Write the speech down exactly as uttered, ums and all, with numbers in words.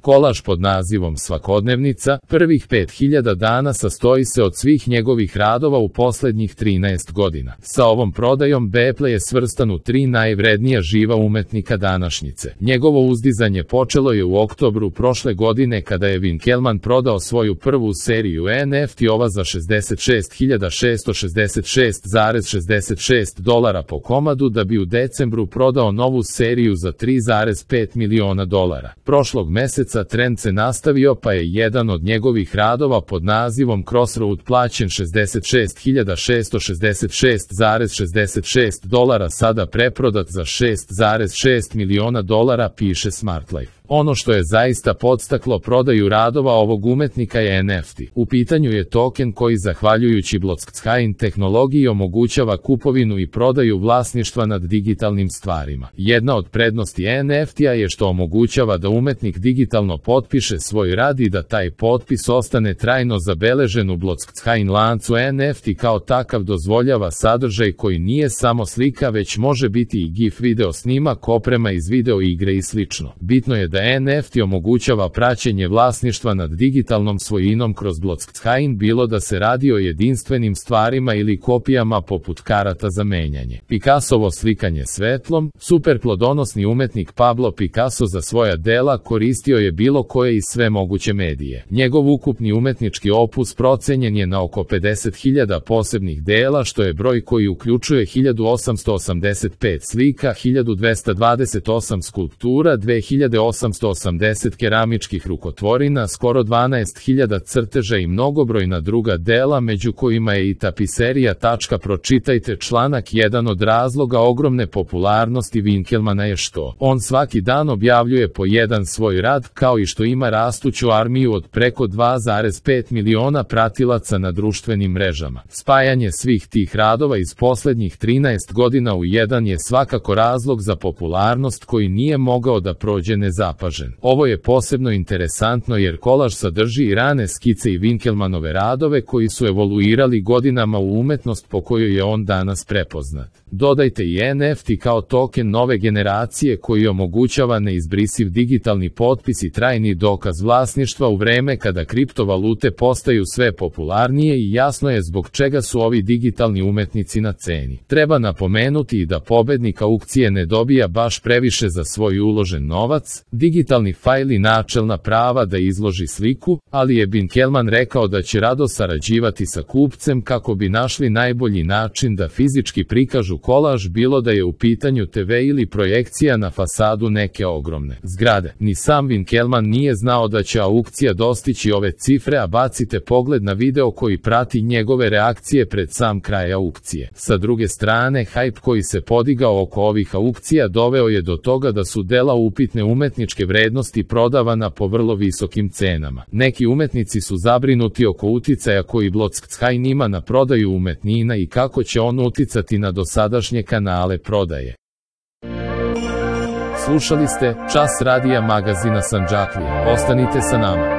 Kolaž pod nazivom Svakodnevnica, prvih pet hiljada dana sastoji se od svih njegovih radova u poslednjih trinaest godina. Sa ovom prodajom Beple je svrstan u tri najvrednija živa umetnika današnjice. Njegovo uzdizanje počelo je u oktobru prošle godine kada je Winkelmann prodao svoju prvu seriju N F T-ova za šezdeset šest hiljada šesto šezdeset šest zarez šezdeset šest dolara po komadu da bi u decembru prodao novu seriju za tri zarez pet miliona dolara. Prošlog meseca trend se nastavio pa je jedan od njegovih radova pod nazivom Crossroad plaćen šezdeset šest hiljada šesto šezdeset šest zarez šezdeset šest dolara sada preprodat za šest zarez šest miliona dolara, piše SmartLife. Ono što je zaista podstaklo prodaju radova ovog umetnika je N F T. U pitanju je token koji zahvaljujući blockchain tehnologiji omogućava kupovinu i prodaju vlasništva nad digitalnim stvarima. Jedna od prednosti N F T-a je što omogućava da umetnik digitalno potpiše svoj rad i da taj potpis ostane trajno zabeležen u blockchain lancu. N F T kao takav dozvoljava sadržaj koji nije samo slika već može biti i GIF, video snimak, oprema iz video igre i slično. Bitno je da N F T omogućava praćenje vlasništva nad digitalnom svojinom kroz blockchain, bilo da se radi o jedinstvenim stvarima ili kopijama poput karata za menjanje. Picassovo slikanje svetlom. Super plodonosni umetnik Pablo Picasso za svoja dela koristio je bilo koje i sve moguće medije. Njegov ukupni umetnički opus procenjen je na oko pedeset hiljada posebnih dela, što je broj koji uključuje hiljadu osamsto osamdeset pet slika, hiljadu dvesta dvadeset osam skulptura, dve hiljade osamsto osamdeset keramičkih rukotvorina, skoro dvanaest hiljada crteža i mnogobrojna druga dela, među kojima je i tapiserija. Pročitajte članak. Jedan od razloga ogromne popularnosti Winkelmanna je što on svaki dan objavljuje po jedan svoj rad, kao i što ima rastuću armiju od preko dva zarez pet miliona pratilaca na društvenim mrežama. Spajanje svih tih radova iz poslednjih trinaest godina u jedan je svakako razlog za popularnost koji nije mogao da prođe nezapažen. Ovo je posebno interesantno jer kolaž sadrži i rane skice i Winkelmannove radove koji su evoluirali godinama u umetnost po kojoj je on danas prepoznat. Dodajte i N F T kao token nove generacije koji omogućava neizbrisiv digitalni potpis i trajni dokaz vlasništva u vreme kada kriptovalute postaju sve popularnije i jasno je zbog čega su ovi digitalni umetnici na ceni. Treba napomenuti i da pobednik aukcije ne dobija baš previše za svoj uložen novac, digitalni fajl i načelna prava da izloži sliku, ali je Winkelmann rekao da će rado sarađivati sa kupcem kako bi našli najbolji način da fizički prikažu kolaž, bilo da je u pitanju te ve ili projekcija na fasadu neke ogromne zgrade. Ni sam Winkelmann nije znao da će aukcija dostići ove cifre, a bacite pogled na video koji prati njegove reakcije pred sam kraj aukcije. Sa druge strane, hajp koji se podigao oko ovih aukcija doveo je do toga da su dela upitne umetničke vrednosti prodavana po vrlo visokim cenama. Neki umetnici su zabrinuti oko uticaja koji blockchain ima na prodaju umetnina i kako će on uticati na dosadašnje kanale prodaje. Slušali ste Čas radija magazina Sandžaklije. Ostanite sa nama.